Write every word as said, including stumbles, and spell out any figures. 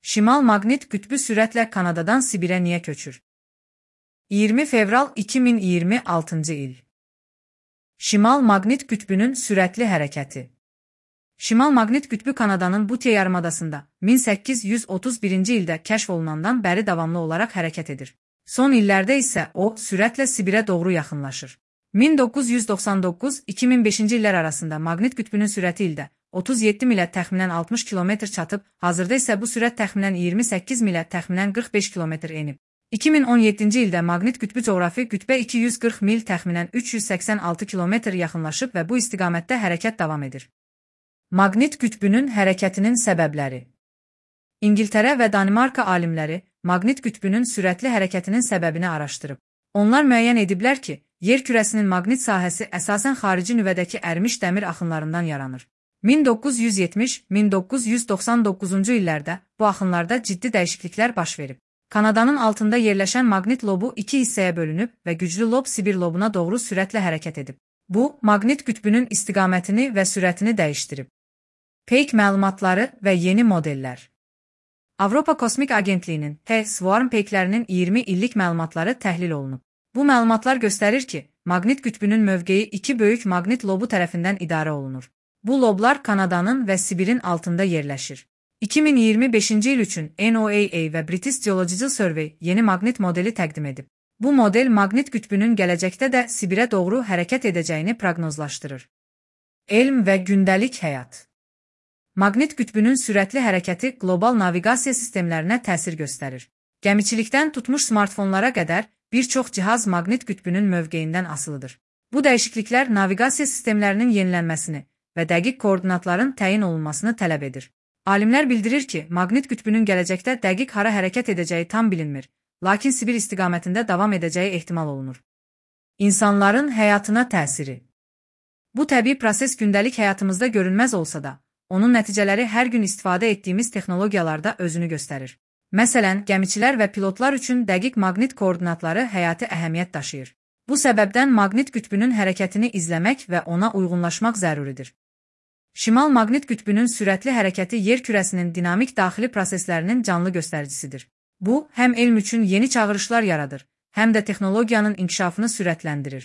Şimal maqnit qütbü sürətlə Kanadadan Sibirə niyə köçür? iyirmi fevral iki min iyirmi altıncı il. Şimal maqnit qütbünün sürətli hərəkəti. Şimal maqnit qütbü Kanadanın Butye yarımadasında min səkkiz yüz otuz birinci ildə kəşf olunandan bəri davamlı olaraq hərəkət edir. Son illərdə isə o, sürətlə Sibirə doğru yaxınlaşır. min doqquz yüz doxsan doqquz iki min beşinci illər arasında maqnit qütbünün sürəti ildə otuz yeddi milə təxminən altmış kilometr çatıb, hazırda isə bu sürət təxminən iyirmi səkkiz milə təxminən qırx beş kilometr enib. iki min on yeddinci ildə maqnit qütbü coğrafi qütbə iki yüz qırx mil təxminən üç yüz səksən altı kilometr yaxınlaşıb və bu istiqamətdə hərəkət davam edir. Maqnit qütbünün hərəkətinin səbəbləri. İngiltərə və Danimarka alimləri maqnit qütbünün sürətli hərəkətinin səbəbini araşdırıb. Onlar müəyyən ediblər ki, yer kürəsinin maqnit sahəsi əsasən xarici nüvədəki ərmiş dəmir axınlarından yaranır. min doqquz yüz yetmiş - min doqquz yüz doxsan doqquzuncu illərdə bu axınlarda ciddi dəyişikliklər baş verib. Kanadanın altında yerləşən maqnit lobu iki hissəyə bölünüb və güclü lob Sibir lobuna doğru sürətlə hərəkət edib. Bu, maqnit qütbünün istiqamətini və sürətini dəyişdirib. Peyk məlumatları və yeni modellər. Avropa Kosmik Agentliyinin H Swarm peyklərinin iyirmi illik məlumatları təhlil olunub. Bu məlumatlar göstərir ki, maqnit qütbünün mövqeyi iki böyük maqnit lobu tərəfindən idarə olunur. Bu loblar Kanadanın və Sibirin altında yerləşir. iki min iyirmi beşinci il üçün N O A A və British Geological Survey yeni maqnit modeli təqdim edib. Bu model maqnit qütbünün gələcəkdə də Sibirə doğru hərəkət edəcəyini proqnozlaşdırır. Elm və gündəlik həyat. Maqnit qütbünün sürətli hərəkəti qlobal naviqasiya sistemlərinə təsir göstərir. Gəmiçilikdən tutmuş smartfonlara qədər bir çox cihaz maqnit qütbünün mövqeyindən asılıdır. Bu dəyişikliklər naviqasiya sistemlərinin yenilənməsini və dəqiq koordinatların təyin olunmasını tələb edir. Alimlər bildirir ki, maqnit qütbünün gələcəkdə dəqiq hara hərəkət edəcəyi tam bilinmir, lakin Sibir istiqamətində davam edəcəyi ehtimal olunur. İnsanların həyatına təsiri. Bu təbii proses gündəlik həyatımızda görünməz olsa da, onun nəticələri hər gün istifadə etdiyimiz texnologiyalarda özünü göstərir. Məsələn, gəmiçilər və pilotlar üçün dəqiq maqnit koordinatları həyati əhəmiyyət daşıyır. Bu səbəbdən maqnit qütbünün hərəkətini izləmək və ona uyğunlaşmaq zəruridir. Şimal maqnit qütbünün sürətli hərəkəti yer kürəsinin dinamik daxili proseslərinin canlı göstəricisidir. Bu, həm elm üçün yeni çağırışlar yaradır, həm də texnologiyanın inkişafını sürətləndirir.